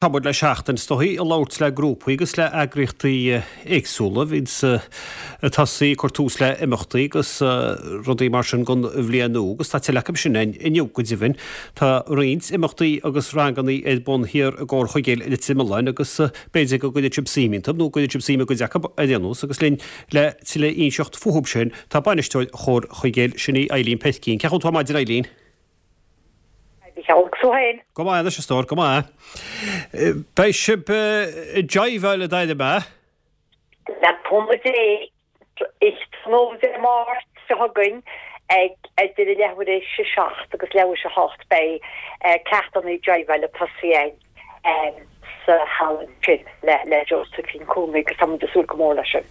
Tá muid le seachtain is dóichí ag labhairt le grúpaí agus le eagraíochtaí éagsúla a bhíonns ag tosaí ag cur tús le imeachtaí agus rudaí mar sin don bhliain nua agus tá tuilleadh acu sin againn inniu go deimhin. Tá roinnt imeachtaí agus rangannaí ar bun thiar i gComhar Chuigéil Leitir Mealláin agus b'fhéidir go gcuirfidh sibh suim iontu nó go gcuirfidh sibh suim i gcuid acu ar aon nós agus linn le tuilleadh a inseacht fúthu sin tá bainisteoir Chomhar Chuigéil sin í Eileen Peircín. Cén chaoi a bhfuil tú ar maidin Eileen? Agus tú féin? Go maith anois, a stór, go maith. Beidh sibh ag jiveáil a deir mé? Le cúnamh Dé, tráthnóna Dé Máirt seo chugainn ag idir a leathuair théis a 7 agus leathuair théis a 8 beidh ceachtanna jiveáil ag tosaí againn sa halla ansin le Josephine Cooney agus tá muid ag súil go mór leis sin.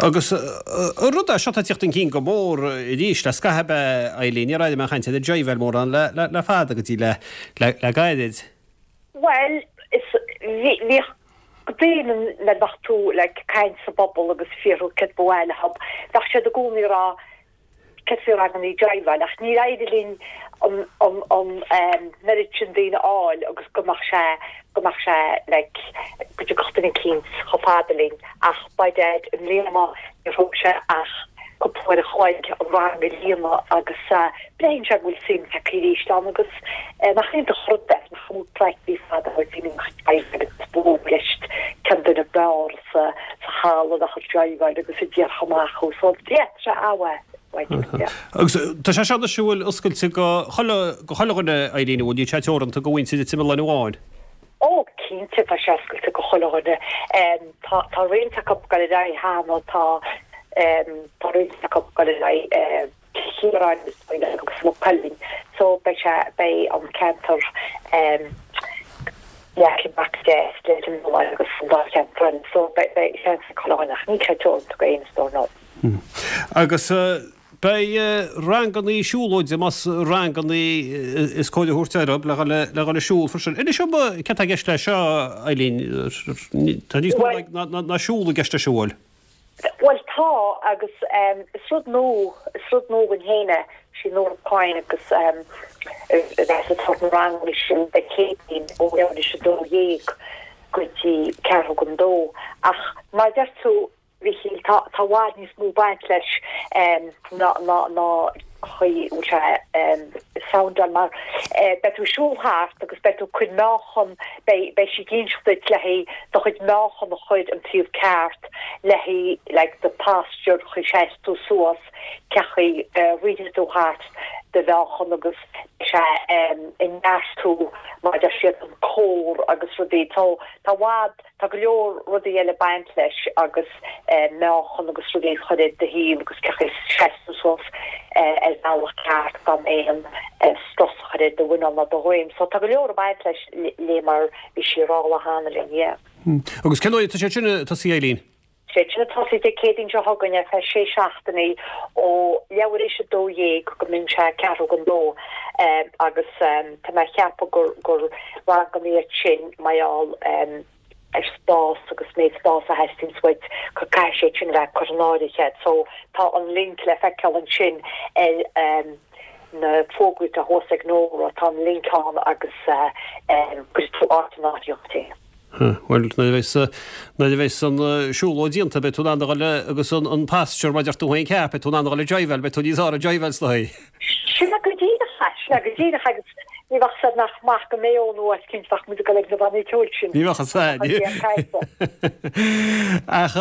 Agus an rud é seo atá ag tíocht chun cinn go mór arís le scaitheamh ab ea, Eileen, níor airigh mé aon chaint ar an jiveáil mórán le fada go dtí le gairid. Bhuel, is, bhíodh daoine nuair a bheadh tú like ag caint sa bpobal agus ag fiafraí céard ba mhaith leo, bheadh siad i gcónaí ag rá céard faoi rangannaí jiveáil ach níor éirigh linn an an an oiread sin daoine a fháil agus go mbeadh sé go mbeadh sé like go dtiocfadh duine eicínt chomh fada linn ach by dad i mbliana níor thóg sé ach cúpla uair a chloig an rang a líonadh agus breathnaíonn sé go bhfuil suim tagtha arís ann agus nach iontach an rud é nach bhfuil craic bhí fada ó daoine ag jiveáil agus bualadh leis cén duine ab fhearr sa halla a bheadh ag jiveáil agus a déarfadh amach thú. So yeah, tá sé an-mhaith, yeah. Agus tá sé seo anois an bhfuil oscailte go chuile, go chuile dhuine, Eileen, an bhfuil? Níl sé teoranta go mhuintir Leitir Mealláin amháin? Ó, cinnte, tá sé oscailte go chuile dhuine. Tá, tá roinnt acu ag dul ar aghaidh cheana, tá, tá roinnt acu ag dul ar aghaidh, Cill Chiaráin agus Maigh Cuilinn so beidh sé, beidh an ceantar leagtha amach go deas Leitir Mealláin agus an dá cheantar eile so beidh, beidh seans ag chuile dhuine ach níl sé teoranta go éinne is dóigh no. Agus beidh rangannaí siúlóide, más rangannaí is cóir a thabhairt orthu, le dhul, le dhul ag siúl freisin. Inis dom céard tá i gceist leis seo, Eileen, tá níos mó ná siúl i gceist leis an bhfuil? Bhuel tá, agus is rud nua, is rud nua dhúinn féin é, sí Nóra Coyne agus a bheas ag tabhairt na ranganna sin Dé Céadaoin ó leathuair théis a 12 go dtí ceathrú don dó. Ach mar a deir tú, Mhichíl, tá tá i bhfad níos mó ag baint leis ná ná ná chaoi a bhfuil sé ag soundáil mar beidh tú ag siúl thart agus beidh tú ag cur meáchan, beidh beidh sí ag inseacht duit le haghaidh do chuid meáchan a chur an taobh ceart le haghaidh like do posture chaoi seas tú suas cé chaoi a ritheann tú thart do mheáchan agus beidh sé ag neartú mar a deir siad an core agus rudaí so tá i bhfad Tá go leor rudaí eile ag baint leis agus meáchan agus rudaí a chur ar do thaobh agus cé chaoi a seas tú suas ar bhealach ceart gan aon strus a chur ar do mhuineál ná do dhroim. So tá go leor ag baint leis lé mar bhí sí ag rá lá cheana linn, yeah. Agus cén uair atá sé sin ag tosaí Eileen? Sé sin ag tosaí Dé Céadaoin seo chugainn ar feadh sé seachtainí ó leathuair théis a 12 go mbíonn sé ceathrú don dó agus tá mé ag ceapadh gur gur ranganna iad sin mar gheall ar spás agus méid spás a theastaíonns uait go caithfidh sé sin a bheith curtha in áirithe. So tá an link le feiceáil ansin ar na fógraí atá thuas ag Nóra, tá an link ann agus cuirfidh tú áit in áirithe duit féin. Bhuel, nuair a bheas, nuair a bheas an siúlóid déanta, beidh tú in ann a dhul agus an posture, mar a deir tú féin ceart, beidh tú in ann a dhul ag jiveáil, beidh tú níos fearr ag jiveáil is dóigh. Sin é go díreach é, sin é go díreach agus ní bheadh said nach maith go mbeidh nó áit cinnte bheadh muid ag dul ag na bannaí ceoil sin. Ní bheadh a fhios Ach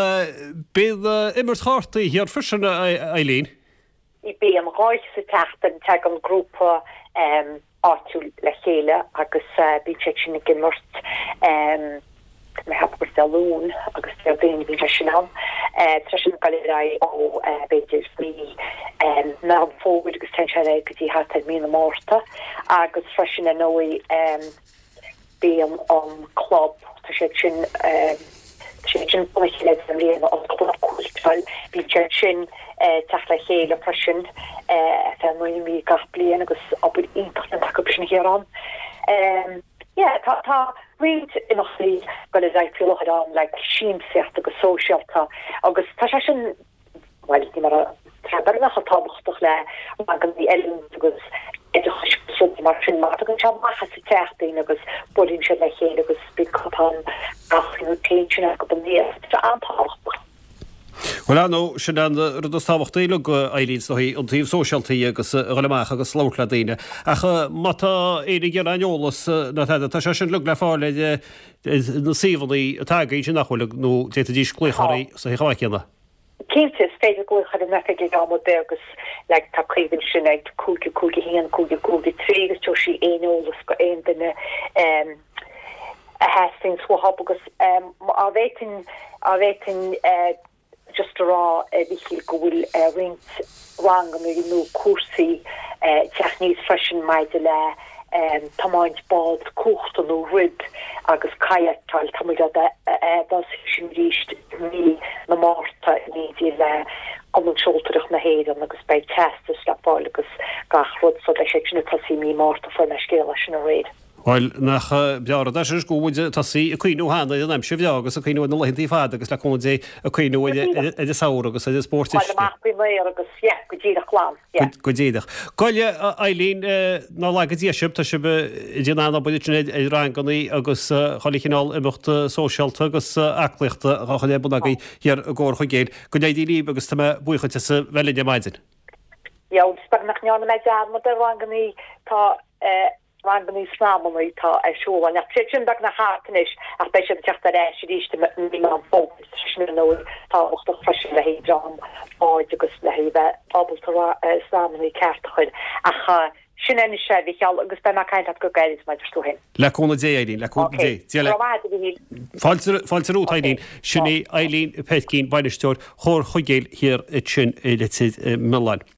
bíonn imirt chártaí thiar freisin, a Eileen. Bíonn dhá oíche sa tseachtain, tagann grúpa áitiúil le chéile agus bíonn siad sin ag imirt tá mé ag ceapadh gur Dé Luain agus Déardaoin a bhíonn sé sin ann. Tá sé sin ag dul ar aghaidh ó b'fhéidir mí Meán Fómhair agus téann sé ar aghaidh go dtí thart ar mí na Márta agus freisin ar ndóigh Bíonn an club, tá siad sin, tá siad sin bunaithe le deich mbliana, an club cúirteáil, bíonn siad sin ag teacht le chéile freisin ar feadh 9 mí gach bliain agus obair iontach déanta acu sin a Chiarán. Yeah, tá, tá roinnt imeachtaí ag dul ar aghaidh faoi láthair ann, like siamsaíocht agus sóisialta agus tá sé sin, Bhuel, ní mar a tá beagnach chomh tábhachtach le ranganna oiliúint agus oideachais agus. rudaí mar sin mar tagann sé amach as an teach daoine agus buaileann siad le chéile agus bíonn cupán caife nó tae ansin acu aníos. Tá sé an-tábhachtach. Bhuel, ar ndóigh, sin an rud is tábhachtaí uilig, Eileen, is dóigh, an taobh sóisialta agus a dhul amach agus labhairt le daoine. Ach má tá éinne ag iarraidh aon eolas ná tada, tá sé sin uilig le fáil ar na suíomhanna atá againn sin nach bhfuil, nó d'fhéadfaidís glaoch oraibh sa chomh maith céanna. Cinnte, is féidir glaoch ar an oifig ag am ar bith agus like tá Caoimhe ansin ag 5 5 1 5 5 3 agus tabharfaidh sí aon eolas go aon duine a theastaíonns uathu agus á bhféadfainn á bhféadfainn just a rá a Mhichíl go bhfuil roinnt ranganna nó cúrsaí ag teacht aníos freisin maidir le tiomáint bád cuachta nó rib agus kayakáil, tá muid á dtosú sin arís i mí na Márta in éindí le Cumann Seoltóireacht na hÉireann agus beidh teastas le fáil agus gach rud so beidh sé sin ag tosaí i mí Márta, fuair mé scéal as sin aréir. Bhuel, nach breá an rud é sin go bhfuil muid ag tosaí ag cuimhniú cheana ar an aimsir bhreá agus ag cuimhniú ar na laethantaí fada agus le cúnamh Dé ag cuimhniú ar an samhradh agus ar an spórt uisce. Fáil amach faoin aer agus, yeah, go díreach glan. Yeah. Go díreach. Bhuel, a Eileen, ná laga Dia sibh, tá sibh ag déanamh an-obair ansin ar rangannaí agus chuile chineál imeacht sóisialta agus aclaíochta á chur ar bun agaibh thiar i gComhar Chuigéil. Go n-éirí libh agus tá mé buíoch duit as a bheith linn ar maidin. Yeah, agus beag nach ndearna mé dearmad ar rangannaí, tá eh, rangannaí snamannaí atá ar siúl ann. Ach tá siad sin beagnach thart anois ach beidh siad ag teacht ar ais arís i mí Meán Fómhair. Tá sin ar ndóigh tábhachtach freisin le haghaidh dream báid agus le haghaidh bheith ábalta snamannaí ceart a chur. Ach sin é anois é, a Mhichíl, agus beidh mé ag caint leat go gairid mar a deir tú féin. Le cúnamh Dé, Eileen, le cúnamh Dé. Dia leat. Go raibh maith agat, a Mhichíl. Fáilte, fáilte romhat, Eileen. Sin í Eileen Peircín, bainisteoir Chomhar Chuigéil thiar ansin i Leitir Mealláin.